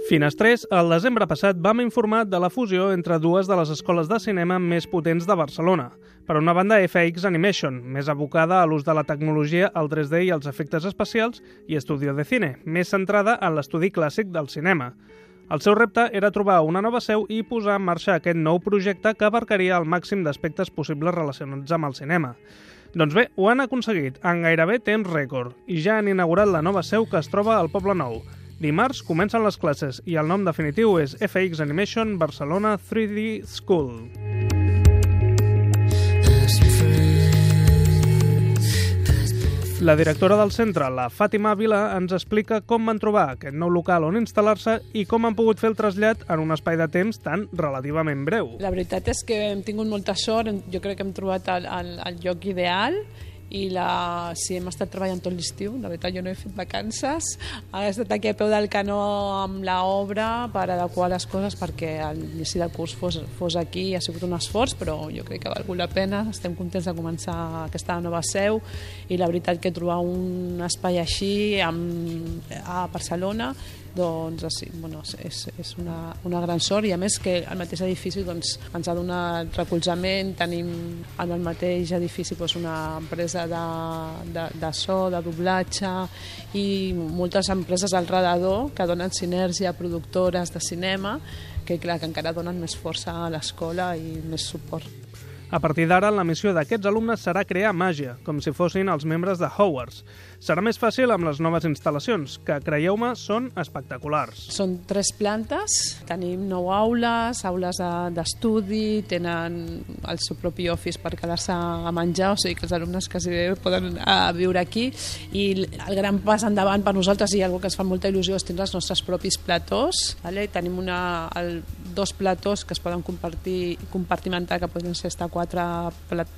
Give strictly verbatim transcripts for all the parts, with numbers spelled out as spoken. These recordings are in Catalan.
Finestrés, el desembre passat vam informar de la fusió entre dues de les escoles de cinema més potents de Barcelona. Per una banda, F X Animation, més abocada a l'ús de la tecnologia, el tres D i els efectes especials, i Estudio de Cine, més centrada en l'estudi clàssic del cinema. El seu repte era trobar una nova seu i posar en marxa aquest nou projecte que abarcaria el màxim d'aspectes possibles relacionats amb el cinema. Doncs bé, ho han aconseguit en gairebé temps rècord i ja han inaugurat la nova seu que es troba al Poble Nou. Dimarts comencen les classes i el nom definitiu és F X Animation Barcelona tres D School. La directora del centre, la Fàtima Vila, ens explica com van trobar aquest nou local on instal·lar-se i com han pogut fer el trasllat en un espai de temps tan relativament breu. La veritat és que hem tingut molta sort, jo crec que hem trobat el, el, el lloc ideal i la... sí, hem estat treballant tot l'estiu, la veritat jo no he fet vacances, he estat aquí a peu del canó amb l'obra per adequar les coses perquè l'inici del curs fos, fos aquí, ha sigut un esforç, però jo crec que ha valgut la pena, estem contents de començar aquesta nova seu i la veritat que trobar un espai així amb, a Barcelona doncs sí, bueno, és, és una, una gran sort i a més que el mateix edifici doncs, ens ha donat recolzament, tenim en el mateix edifici doncs, una empresa de, de, de so, de doblatge i moltes empreses al redador que donen sinergia a productores de cinema que, clar, que encara donen més força a l'escola i més suport. A partir d'ara, la missió d'aquests alumnes serà crear màgia, com si fossin els membres de Hogwarts. Serà més fàcil amb les noves instal·lacions, que, creieu-me, són espectaculars. Són tres plantes, tenim nou aules, aules d'estudi, tenen el seu propi office per quedar-se a menjar, o sigui que els alumnes quasi bé poden viure aquí, i el gran pas endavant per nosaltres, i una cosa que ens fa molta il·lusió, és tindre els nostres propis platós. Vale? Tenim una, el, dos platós que es poden compartir, compartimentar, que poden ser estar quatre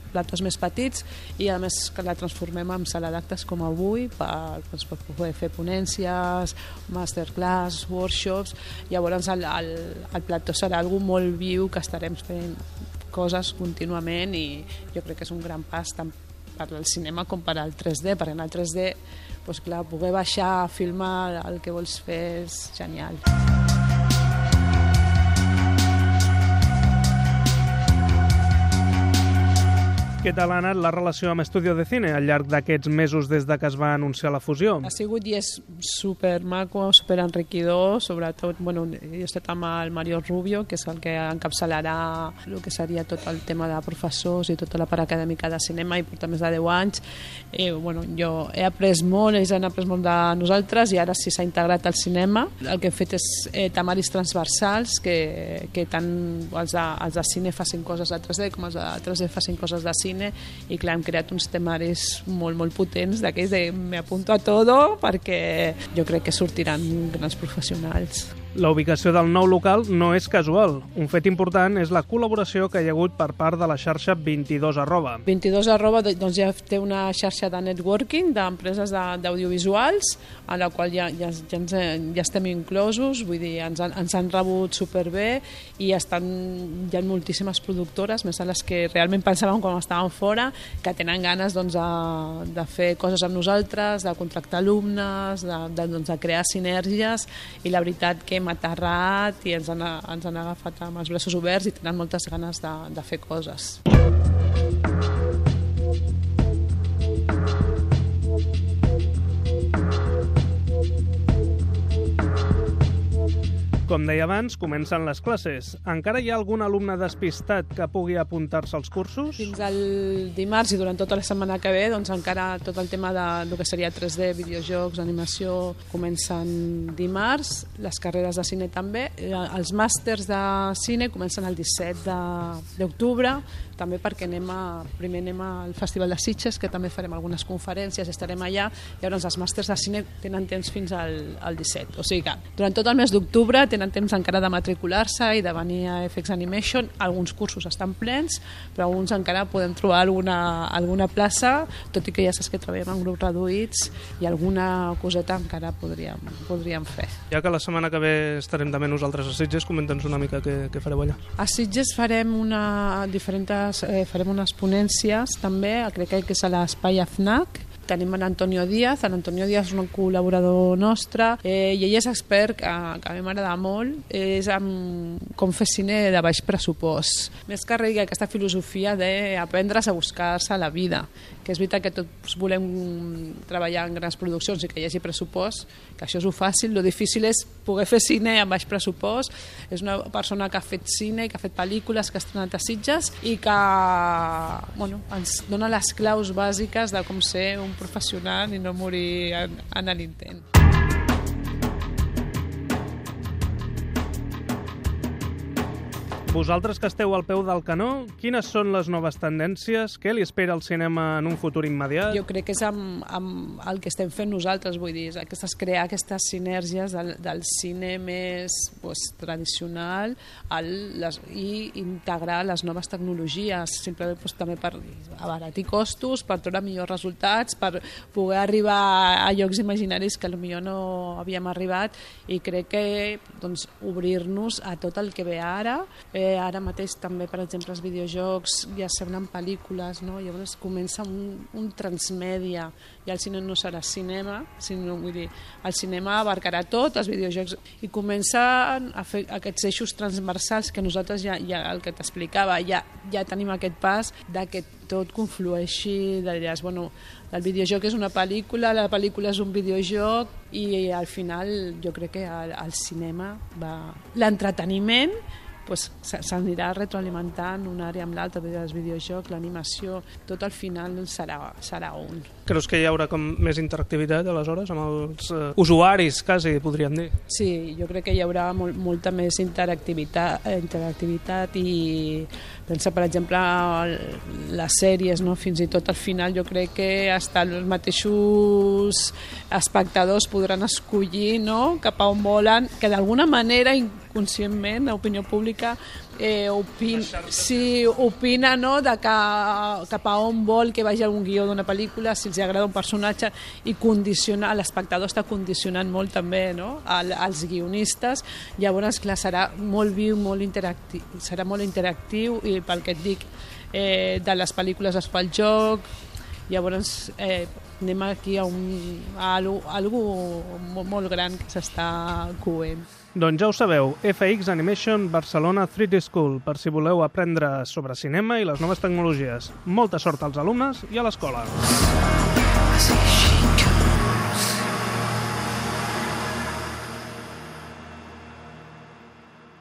platós més petits i a més que la transformem en sala d'actes com avui per, doncs, per poder fer ponències, masterclass, workshops. Llavors el, el, el plató serà algo molt viu que estarem fent coses contínuament i jo crec que és un gran pas tant per al cinema com per al tres D, perquè en el tres D doncs, clar, poder baixar a filmar el que vols fer és genial. Què tal ha anat la relació amb Estudio de Cine al llarg d'aquests mesos des de que es va anunciar la fusió? Ha sigut i és super maco, super enriquidor, sobretot, bueno, he estat amb el Mario Rubio, que és el que encapçalarà el que seria tot el tema de professors i tota la part acadèmica de cinema i porta més de deu anys. Eh, bueno, jo he après molt, ells han après molt de nosaltres i ara sí s'ha integrat al cinema. El que hem fet és eh, temaris transversals, que, que tant els de, els de cine facin coses de tres D com els de tres D facin coses de cine i clar, hem creat uns temaris molt, molt potents d'aquells de me apunto a todo perquè jo crec que sortiran grans professionals. La ubicació del nou local no és casual. Un fet important és la col·laboració que hi ha hagut per part de la xarxa vint-i-dos arroba. vint-i-dos arroba doncs ja té una xarxa de networking d'empreses d'audiovisuals a la qual ja, ja, ja, ens, ja estem inclosos, vull dir, ens han, ens han rebut superbé i estan, hi ha moltíssimes productores, més a les que realment pensàvem quan estàvem fora, que tenen ganes doncs, de, de fer coses amb nosaltres, de contractar alumnes, de, de, doncs, de crear sinergies i la veritat que hem aterrat i ens han, ens han agafat amb els braços oberts i tenen moltes ganes de, de fer coses. Com deia abans, comencen les classes. Encara hi ha algun alumne despistat que pugui apuntar-se als cursos? Fins al dimarts i durant tota la setmana que ve, doncs encara tot el tema de, del que seria tres D, videojocs, animació, comencen dimarts, les carreres de cine també. Els màsters de cine comencen el disset d'octubre, també perquè anem a, primer anem al Festival de Sitges, que també farem algunes conferències, estarem allà, i llavors els màsters de cine tenen temps fins al, al disset. O sigui que durant tot el mes d'octubre tenen temps encara de matricular-se i de venir a F X Animation. Alguns cursos estan plens, però alguns encara podem trobar alguna, alguna plaça, tot i que ja saps que treballem en grups reduïts i alguna coseta encara podríem, podríem fer. Ja que la setmana que ve estarem també nosaltres a Sitges, comenta'ns una mica què, què fareu allà. A Sitges farem, una, diferents, eh, farem unes ponències també, crec que és a l'espai A F N A C, tenim l'Antonio Díaz. L'Antonio Díaz és un col·laborador nostre eh, i ell és expert, que, que a mi m'agrada molt, és amb com fer cine de baix pressupost. Més que res aquesta filosofia d'aprendre's a buscar-se la vida, que és veritat que tots volem treballar en grans produccions i que hi hagi pressupost, que això és fàcil, lo difícil és poder fer cine amb baix pressupost. És una persona que ha fet cine, que ha fet pel·lícules, que ha estrenat a Sitges i que bueno, ens dona les claus bàsiques de com ser un professional i no morir en, en l'intent. Vosaltres que esteu al peu del canó, quines són les noves tendències? Què li espera al cinema en un futur immediat? Jo crec que és amb, amb el que estem fent nosaltres, vull dir, aquestes, crear aquestes sinergies del, del cine més pues, tradicional al, les, i integrar les noves tecnologies, simplement pues, també per abaratir costos, per treure millors resultats, per poder arribar a llocs imaginaris que potser no havíem arribat, i crec que doncs, obrir-nos a tot el que ve ara. Eh, ara mateix també, per exemple, els videojocs ja semblen pel·lícules, no? Llavors comença un, un transmèdia, i el cine no serà cinema, sinó, vull dir, el cinema abarcarà tot, els videojocs, i comencen a fer aquests eixos transversals que nosaltres ja, ja el que t'explicava, ja, ja tenim aquest pas de que tot conflueixi, de dir, bueno, el videojoc és una pel·lícula, la pel·lícula és un videojoc, i al final jo crec que el, el cinema va... L'entreteniment pues, s'anirà retroalimentant una àrea amb l'altra, els videojocs, l'animació, tot al final serà, serà un. Creus que hi haurà com més interactivitat aleshores amb els uh, usuaris, quasi, podríem dir? Sí, jo crec que hi haurà molt, molta més interactivitat, interactivitat i pensa, per exemple, les sèries, no? Fins i tot al final jo crec que hasta els mateixos espectadors podran escollir, no? Cap a on volen, que d'alguna manera inconscientment l'opinió pública eh, opin, sí, opina, no? De que, cap a on vol que vagi algun guió d'una pel·lícula, si els agrada un personatge, i condiciona, l'espectador està condicionant molt també, no? Al, als guionistes. Llavors, clar, serà molt viu, molt interactiu, serà molt interactiu, i pel que et dic, eh, de les pel·lícules es fa el joc. Llavors eh, anem aquí a, un, a algo, algo molt, molt gran que s'està coent. Doncs ja ho sabeu, F X Animation Barcelona tres D School, per si voleu aprendre sobre cinema i les noves tecnologies. Molta sort als alumnes i a l'escola.